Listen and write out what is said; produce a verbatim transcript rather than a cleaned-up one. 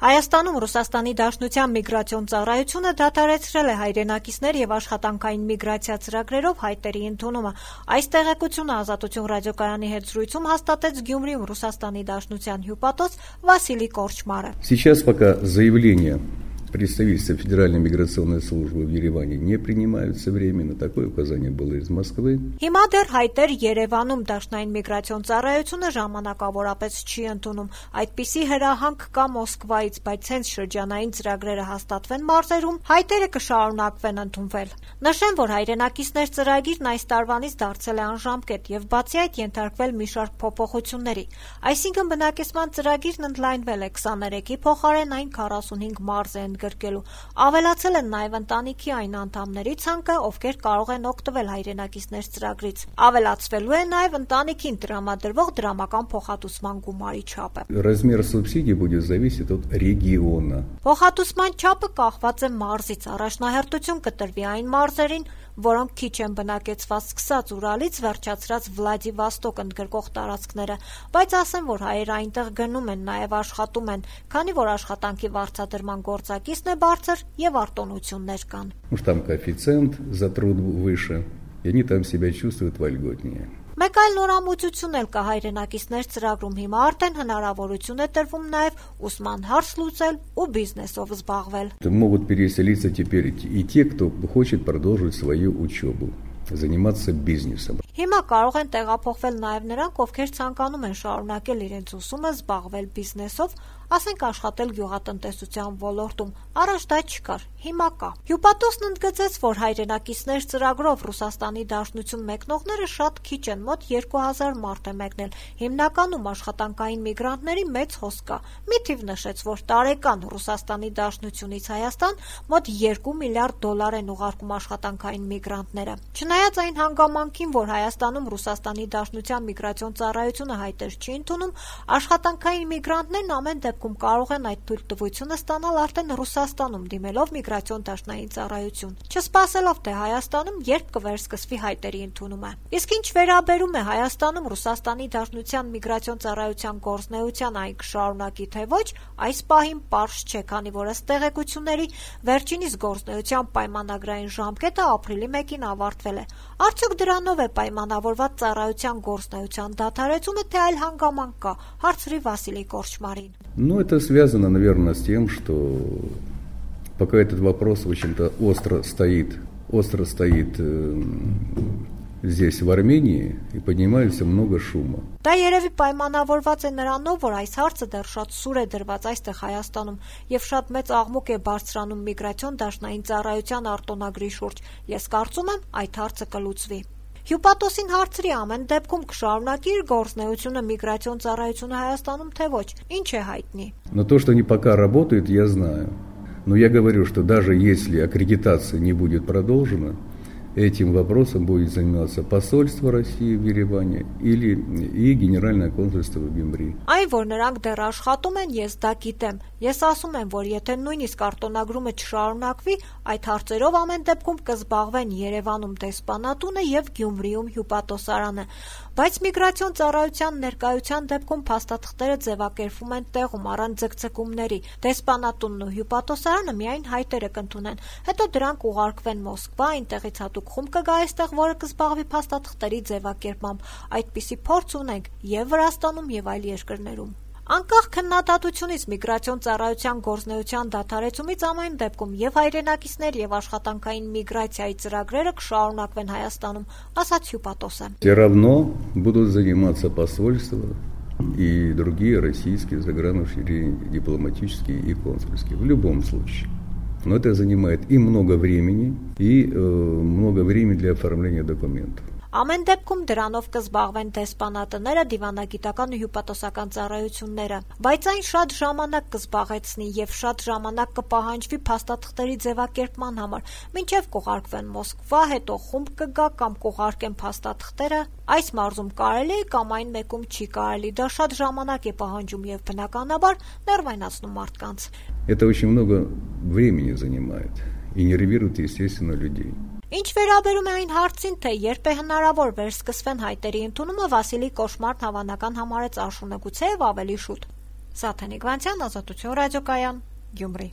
Հայաստանում Ռուսաստանի Դաշնության միգրացիոն ծառայությունը դադարեցրել է հայրենակիցներ եւ աշխատանքային միգրացիա ծրագրերով հայտերի ընդունումը։ Այս տեղեկությունը Ազատություն ռադիոկայանի հետ զրույցում հաստատեց Գյումրիում Ռուսաստանի Դաշնության հյուպատոս Վասիլի Կորչմարը։ Сейчас пока заявление представительства Федеральной миграционной службы в Ереване не принимаются временно. Такое указание было из Москвы. Հիմա դեռ հայտեր Երևանում Դաշնային միգրացիոն ծառայությունը ժամանակավորապես չի ընդունում։ Այդպիսի հրահանգ կա Մոսկվայից, բայց հենց շրջանային ծրագրերը հաստատվեն մարզերում, հայտերը կշարունակվեն ընդունվել։ Նշեմ, որ հայրենակիցներ ծրագիրն այս տարվանից դարձել է անժամկետ եւ բացի այդ ենթարկվել մի շարք փոփոխությունների։ Այսինքն բնակեցման ծրագիրն ընդլայնվել է քսաներեքի փոխարեն այն քառասունհինգ մարզ է գրկելու։ Ավելացել են նաև ընտանիքի այն անդամների ցանկը, ովքեր կարող են օգտվել հայրենակիցներ ծրագրից։ Ավելացվելու է նաև ընտանիքին տրամադրվող դրամական փոխհատուցման գումարի չափը։ Размер субсидий будет зависеть от региона. Փոխհատուցման չափը կախված է մարզից։ Առաջնահերթություն կտրվի այն մարզերին, որոնք քիչ են բնակեցված սկսած Ուրալից վերջացրած Վլադիվաստոկ ընդգրկող տարածքները, բայց ասեմ, որ հայերը այնտեղ գնում են, նաև աշխատում են, քանի որ աշխատանքի վարձատրման գործակիցն է բարձր եւ արտոնություններ կան։ Уж там коэффициент за труд выше, и они там себя чувствуют вольготнее. Մեկ այլ նորամուծություն էլ կա հայրենակիցներ ծրագրում։ Հիմա արդեն հնարավորություն է տրվում նաև ուսման հարց լուծել ու բիզնեսով զբաղվել։ Могут переселиться теперь и те, кто хочет продолжить свою учебу, заниматься бизнесом. Հիմա կարող են տեղափոխվել նաև նրանք, ովքեր ցանկանում են շարունակել իրենց ուսումը, զբաղվել բիզնեսով, ասենք աշխատել գյուղատնտեսության ոլորտում։ Առաջ դա չկար, հիմա կա։ Հյուպատոսն ընդգծեց, որ հայրենակիցներ ծրագրով Ռուսաստանի Դաշնություն մեկնողները շատ քիչ են, մոտ երկու հազար մարդ է մեկնել։ Հիմնականում աշխատանքային միգրանտների մեծ հոսք կա։ Մի թիվ նշեց, որ տարեկան Ռուսաստանի Դաշնությունից Հայաստան մոտ երկու միլիարդ դոլար են ուղարկում աշխատանքային միգրանտները։ Չնայած այն հանգամանքին, որ Հայաստանում Ռուսաստանի Դաշնության միգրացիոն ծառայությունը հայտեր չի ընդունում, աշխատանքային միգրանտներն ամեն դեպքում կարող են այդ թույլտվությունը ստանալ արդեն Ռուսաստանում դիմելով միգրացիոն դաշնային ծառայություն, չսպասելով թե Հայաստանում երբ կվերսկսվի հայտերի ընդունումը։ Իսկ ինչ վերաբերում է Հայաստանում Ռուսաստանի Դաշնության միգրացիոն ծառայության գործնեության այն կշարունակի թե ոչ, այս պահին պարզ չէ, քանի որ ըստ տեղեկությունների վերջինիս գործնեության պայմանագրային ժամկետը ապրիլի մեկին ավարտվել է։ Արդյոք դրանով է պայմանավորված ծառայության գործնեության դադարեցումը, թե այլ հանգամանք կա, հարցրի Վասիլի Կորչմարին։ Ну, это связано, наверное, с тем, что пока этот вопрос, в общем-то, остро стоит, остро стоит э, здесь, в Армении, и поднимается много шума. Դա երևի պայմանավորված է նրանով, որ այս հարցը դեռ շատ սուր է դրված այստեղ Հայաստանում եւ շատ մեծ աղմուկ է բարձրանում միգրացիոն դաշնային ծառայության արտոնագրի շուրջ։ Ես կարծում եմ, այդ հարցը կլուծվի։ Հյուպատոսին հարցրի ամեն դեպքում կշարունակի իր գործնեությունը միգրացիոն ծառայությունը Հայաստանում թե ոչ, ինչ է հայտնի։ Но то, что они пока работают, я знаю. Но я говорю, что даже если аккредитация не будет продолжена, этим вопросом будет заниматься посольство России в Ереване или и Генеральное консульство в Гюмри. Այն, որ նրանք դեռ աշխատում են, ես դա գիտեմ։ Ես ասում եմ, որ եթե նույնիսկ արտոնագրումը չշարունակվի, այդ հարցերով ամեն դեպքում կզբաղվեն Երևանում դեսպանատունը եւ Գյումրիում հյուպատոսարանը։ Բայց միգրացիոն ծառայության ներկայության դեպքում փաստաթղթերը ձևակերպվում են տեղում առանց ձգձգումների։ Դեսպանատունն ու հյուպատոսարանը միայն հայտերը կընդունեն։ Հետո դրանք ուղարկվեն Մոսկվա, այնտեղից հատուկ խումբ կգա այստեղ, որը կզբաղվի փաստաթղթերի ձևակերպմամբ։ Այդպիսի փորձ ունենք եւ Վրաստանում եւ այլ երկրներում։ Անկախ քննադատությունից միգրացիոն ծառայության գործնեության դադարեցումից ամեն դեպքում եւ հայրենակիցներ եւ աշխատանքային միգրացիայի ծրագրերը կշարունակվեն Հայաստանում, ասաց հյուպատոսը։ Все равно будут заниматься посольства и другие российские загранучреждения, дипломатические и консульские, в любом случае. Но это занимает и много времени, и э, много времени для оформления документов. Ամեն դեպքում դրանով կզբաղվեն դեսպանատները, դիվանագիտական ու հյուպատոսական ծառայությունները, բայց այն շատ ժամանակ կզբաղեցնի եւ շատ ժամանակ կպահանջվի փաստաթղթերի ձևակերպման համար, մինչեւ կուղարկվեն Մոսկվա, հետո խումբ կգա կամ կուղարկեն փաստաթղթերը, այս մարզում կարելի է կամ այն մեկում չի կարելի, դա շատ ժամանակ է պահանջում եւ բնականաբար ներվայնացնում մարդկանց։ Это очень много времени занимает и нервирует, естественно, людей. Ինչ վերաբերում է այն հարցին, թե երբ է հնարավոր վերսկսվեն հայտերի ընդունումը, Վասիլի Կորչմարն հավանական համարեց աշունը գուցեև ավելի շուտ։ Սաթենիկ Վանցյան, Ազատություն ռադիոկայան, Գյումրի։